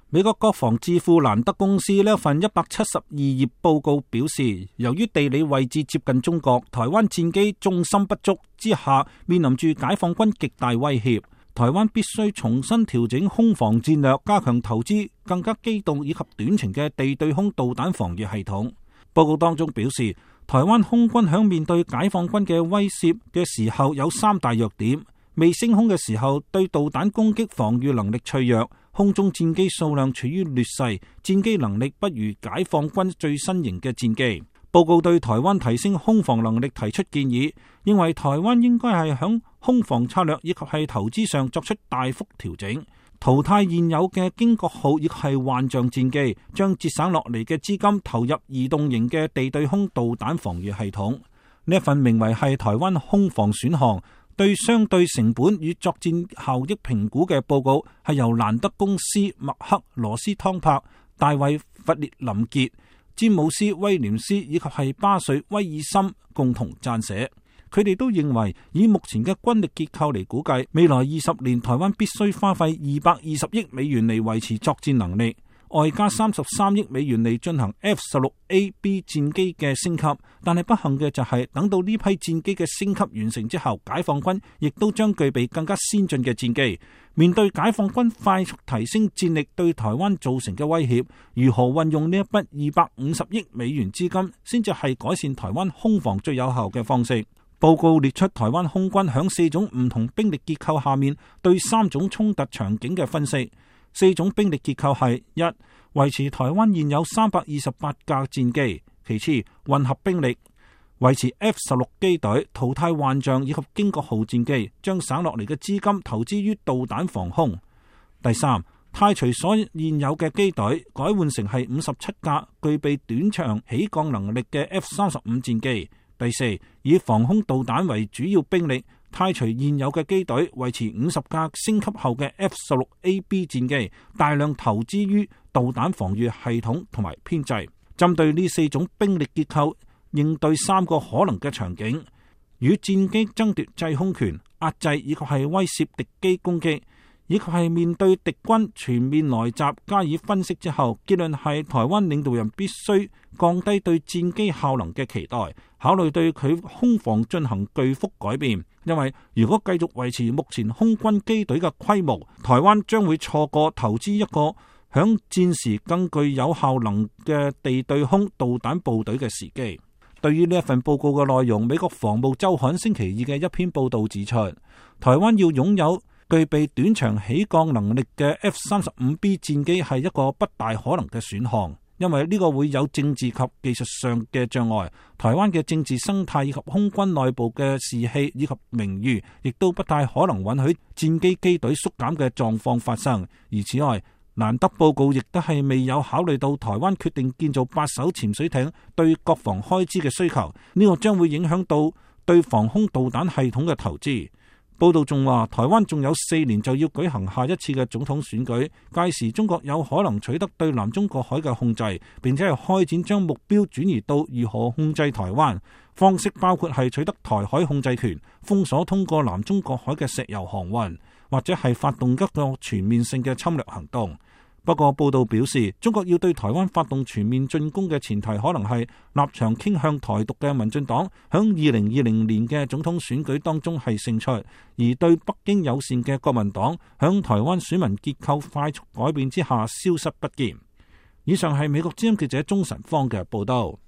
美國國防智庫蘭德公司呢一份172頁報告表示，由於地理位置接近中國，台灣戰機重心不足之下，面臨住解放軍極大威脅。台灣必須重新調整空防戰略，加強投資更加機動以及短程嘅地對空導彈防禦系統。報告當中表示，台灣空軍響面對解放軍嘅威懾嘅時候有3大弱點：未升空嘅時候對導彈攻擊防禦能力脆弱，空中戰機數量處於劣勢，戰機能力不如解放軍最新型嘅戰機。報告對台灣提升空防能力提出建議，認為台灣應該係響空防策略以及係投資上作出大幅調整，淘汰現有嘅經國號以及係幻象戰機，將節省落嚟嘅資金投入移動型嘅地對空導彈防禦系統。呢一份名為係台灣空防選項對相對成本與作戰效益評估嘅報告，係由蘭德公司麥克羅斯湯柏、大衛弗列林傑、詹姆斯威廉斯以及係巴瑞威爾森共同撰寫。佢哋都認為，以目前嘅軍力結構嚟估計，未來20年台灣必須花費220億美元嚟維持作戰能力，外加33億美元嚟進行 F-16A/B 戰機嘅升級。但係不幸嘅就係，等到呢批戰機嘅升級完成之後，解放軍亦都將具備更加先進嘅戰機。面對解放軍快速提升戰力對台灣造成嘅威脅，如何運用呢一筆250億美元資金，先至係改善台灣空防最有效嘅方式。報告列出台灣空軍響4種唔同兵力結構下面對3種衝突場景嘅分析。4種兵力結構係： 1. 維持台灣現有328架戰機；其次，混合兵力，維持 F-16 機隊，淘汰幻象以及經國號戰機，將省落嚟嘅資金投資於導彈防空。第3，汰除所現有嘅機隊，改換成係57架具備短場起降能力嘅 F-35 戰機。第4，以防空導彈為主要兵力，汰除現有嘅機隊，維持50架升級後嘅 F-16A/B 戰機，大量投資於導彈防禦系統同埋編制。針對呢4種兵力結構，應對3個可能嘅場景：與戰機爭奪制空權、壓制以及係威懾敵機攻擊，以及係面對敵軍全面來襲。加以分析之後，結論係台灣領導人必須降低對戰機效能嘅期待，考慮對佢空防進行巨幅改變。因為如果繼續維持目前空軍機隊嘅規模，台灣將會錯過投資一個響戰時更具有效能嘅地對空導彈部隊嘅時機。對於呢一份報告嘅內容，美國防務週刊星期二嘅一篇報道指出，台灣要擁有具備短場起降能力嘅 F-35B 戰機係一個不大可能嘅選項，因為呢個會有政治及技術上嘅障礙。台灣嘅政治生態以及空軍內部嘅士氣以及名譽，亦都不太可能允許戰機機隊縮減嘅狀況發生。而此外，蘭德報告亦都係未有考慮到台灣決定建造8艘潛水艇對國防開支嘅需求，呢個將會影響到對防空導彈系統嘅投資。報道仲話，台灣仲有4年就要舉行下一次嘅總統選舉，屆時中國有可能取得對南中國海嘅控制，並且係開展將目標轉移到如何控制台灣，方式包括係取得台海控制權、封鎖通過南中國海嘅石油航運，或者係發動一個全面性嘅侵略行動。不過報道表示，中國要對台灣發動全面進攻嘅前提，可能係立場傾向台獨嘅民進黨響2020年嘅總統選舉當中係勝出，而對北京友善嘅國民黨響台灣選民結構快速改變之下消失不見。以上係美國之音記者鍾晨芳嘅報道。